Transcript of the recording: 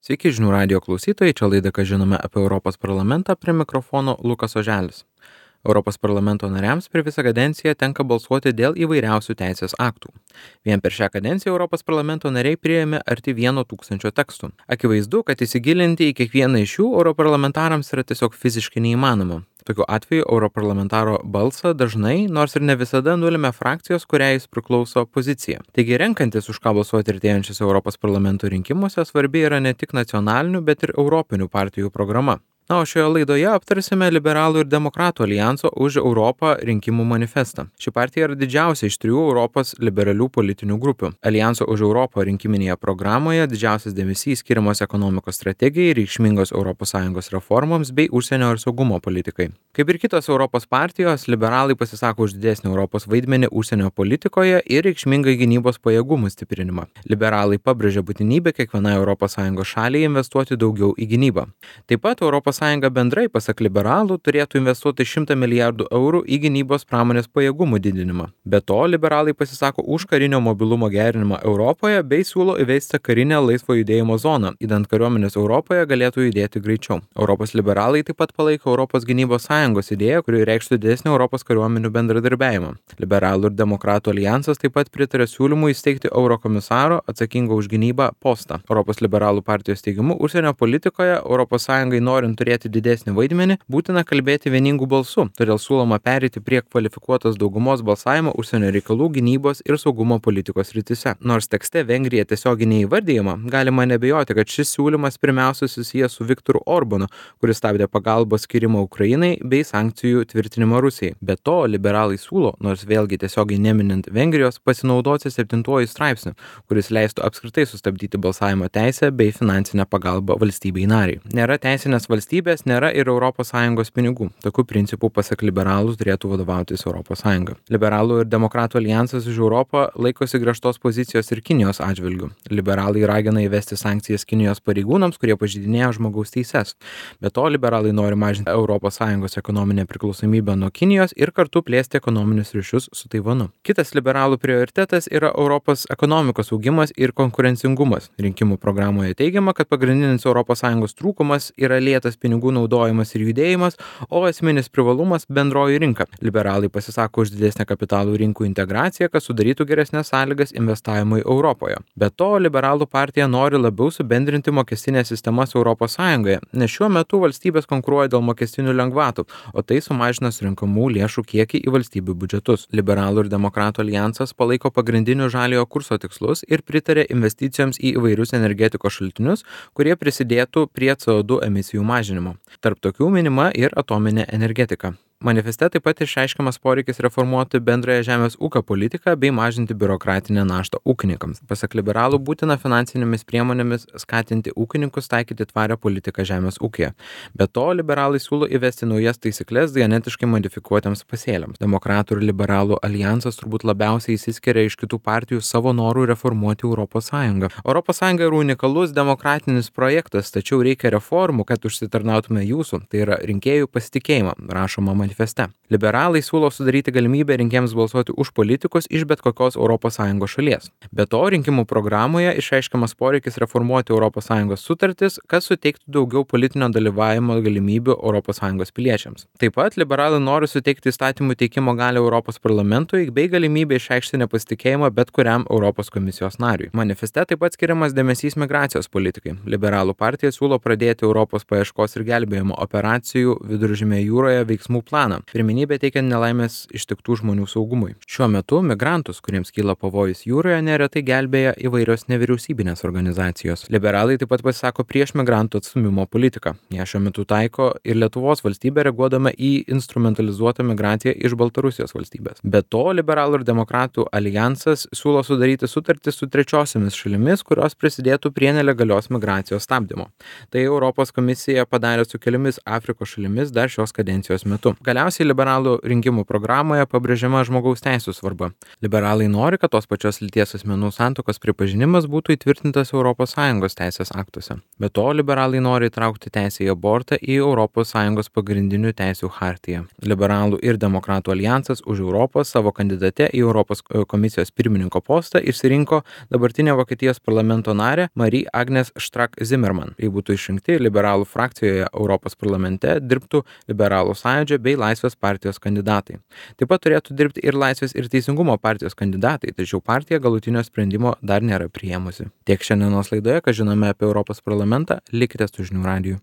Sveiki žinių radio klausytojai, čia laida, ką žinome apie Europos parlamentą, prie mikrofono Lukas Oželis. Europos parlamento nariams per visą kadenciją tenka balsuoti dėl įvairiausių teisės aktų. Vien per šią kadenciją Europos parlamento nariai priėmė arti 1 000 tekstų. Akivaizdu, kad įsigilinti į kiekvieną iš jų europarlamentarams yra tiesiog fiziškai neįmanoma. Tokiu atveju europarlamentaro balsą dažnai, nors ir ne visada, nulemia frakcijos, kuriai jis priklauso pozicija. Taigi renkantis už ką balsuoti artėjančiuose Europos parlamento rinkimuose svarbi yra ne tik nacionalinių, bet ir europinių partijų programa. Na, o šioje laidoje aptarsime Liberalų ir Demokratų alijanso už Europą rinkimų manifestą. Ši partija yra didžiausia iš 3 Europos liberalių politinių grupių. Alijanso už Europą rinkiminėje programoje didžiausias dėmesys skiriamas ekonomikos strategijai, reikšmingos ES reformoms bei užsienio ir saugumo politikai. Kaip ir kitos Europos partijos, liberalai pasisako už didesnį Europos vaidmenį užsienio politikoje ir reikšmingą gynybos pajėgumų stiprinimą. Liberalai pabrėžia būtinybę kiekvienai ES šaliai investuoti daugiau į gynybą. Taip pat ES bendrai, pasak liberalų, turėtų investuoti 100 milijardų eurų į gynybos pramonės pajėgumų didinimą. Be to, liberalai pasisako už karinio mobilumo gerinimą Europoje bei siūlo įvesti karinę laisvo judėjimo zoną, idant kariuomenės Europoje galėtų judėti greičiau. Europos liberalai taip pat palaiko Europos gynybos sąjungos idėją, kuri reikštų didesnį Europos kariuomenių bendradarbiavimą. Liberalų ir Demokratų alijansas taip pat pritarė siūlymui įsteigti eurokomisaro atsakingo už gynybą postą. Europos liberalų partijos teigimu, užsienio politikoje ES norint turėti didesnį vaidmenį, būtina kalbėti vieningų balsų, todėl siūloma pereiti prie kvalifikuotos daugumos balsavimo užsienio reikalų, gynybos ir saugumo politikos srityse. Nors tekste Vengrija tiesiogiai neįvardyjama, galima nebejoti, kad šis siūlymas pirmiausia susijęs su Viktoru Orbanu, kuris stabdė pagalbos skirimą Ukrainai bei sankcijų tvirtinimą Rusijai. Be to, liberalai siūlo, nors vėlgi tiesiogiai neminint Vengrijos, pasinaudoti 7 straipsniu, kuris leistų apskritai sustabdyti balsavimo teisę bei finansinę pagalbą valstybei nariai. Nėra teisinės valstybės, nėra ir ES pinigų. Tokiu principu, pasak liberalų, turėtų vadovautis ES. Liberalų ir Demokratų alijansas už Europą laikosi griežtos pozicijos ir Kinijos atžvilgių. Liberalai ragina įvesti sankcijas Kinijos pareigūnams, kurie pažeidinėja žmogaus teises. Be to, liberalai nori mažinti ES ekonominę priklausomybę nuo Kinijos ir kartu plėsti ekonominius ryšius su Taivanu. Kitas liberalų prioritetas yra Europos ekonomikos augimas ir konkurencingumas. Rinkimų programoje teigiama, kad pagrindinis ES trūkumas yra lėtas pinigų naudojimas ir judėjimas, o esminis privalumas bendroji rinka. Liberalai pasisako už didesnę kapitalų rinkų integraciją, kad sudarytų geresnės sąlygas investavimui Europoje. Be to, liberalų partija nori labiau subendrinti mokestinės sistemas ES, nes šiuo metu valstybės konkuruoja dėl mokestinių lengvatų, o tai sumažina surinkamų lėšų kiekį į valstybių biudžetus. Liberalų ir Demokratų alijansas palaiko pagrindinių žaliojo kurso tikslus ir pritarė investicijoms į įvairius energetikos šaltinius, kurie prisidėtų prie CO2 emisijų mažinimo. Tarp tokių minima ir atominė energetika. Manifeste taip pat išreiškiamas poreikis reformuoti bendrąją žemės ūkio politiką bei mažinti biurokratinę naštą ūkininkams. Pasak liberalų, būtina finansinėmis priemonėmis skatinti ūkininkus taikyti tvarią politiką žemės ūkyje. Be to, liberalai siūlo įvesti naujas taisyklės genetiškai modifikuotiems pasėliams. Demokratų ir liberalų alijansas turbūt labiausiai išsiskiria iš kitų partijų savo norų reformuoti ES. ES yra unikalus demokratinis projektas, tačiau reikia reformų, kad užsitarnautume jūsų, tai yra rinkėjų pasitikėjimą, rašoma manifeste. Liberalai siūlo sudaryti galimybę rinkėjams balsuoti už politikus iš bet kokios ES šalies. Be to, rinkimų programoje išreiškiamas poreikis reformuoti ES sutartis, kad suteiktų daugiau politinio dalyvavimo galimybių ES piliečiams. Taip pat liberalai nori suteikti įstatymų teikimo galią Europos parlamentui bei galimybę išreikšti nepasitikėjimą bet kuriam Europos komisijos nariui. Manifeste taip pat skiriamas dėmesys migracijos politikai. Liberalų partija siūlo pradėti Europos paieškos ir gelbėjimo operacijų Viduržemėje jūroje veiksmų planą. Pirmenybė teikiant nelaimės ištiktų žmonių saugumui. Šiuo metu migrantus, kuriems kyla pavojus jūroje, neretai gelbėja įvairios nevyriausybinės organizacijos. Liberalai taip pat pasisako prieš migrantų atstūmimo politiką. Ją šiuo metu taiko ir Lietuvos valstybė reaguodama į instrumentalizuotą migraciją iš Baltarusijos valstybės. Be to, Liberalų ir Demokratų alijansas siūlo sudaryti sutartį su trečiosiomis šalimis, kurios prisidėtų prie nelegalios migracijos stabdymo. Tai Europos komisija padarė su keliomis Afrikos šalimis dar šios kadencijos metu. Galiausiai liberalų rinkimų programoje pabrėžiama žmogaus teisų svarba. Liberalai nori, kad tos pačios lyties asmenų santuokos pripažinimas būtų įtvirtintas ES teisės aktuose. Be to, liberalai nori įtraukti teisę į abortą į ES pagrindinių teisių chartiją. Liberalų ir demokratų alijansas už Europą savo kandidate į Europos komisijos pirmininko postą išsirinko dabartinę Vokietijos parlamento narę Marie-Agnes Strack-Zimmermann. Jei būtų išrinkti, liberalų frakcijoje Europos parlamente dirbtų Liberalų sąjūdžio bei Laisvės partijos kandidatai. Taip pat turėtų dirbti ir Laisvės ir Teisingumo partijos kandidatai, tačiau partija galutinio sprendimo dar nėra priėmusi. Tiek šiandienos laidoje, ką žinome apie Europos parlamentą, likite su Žinių radiju.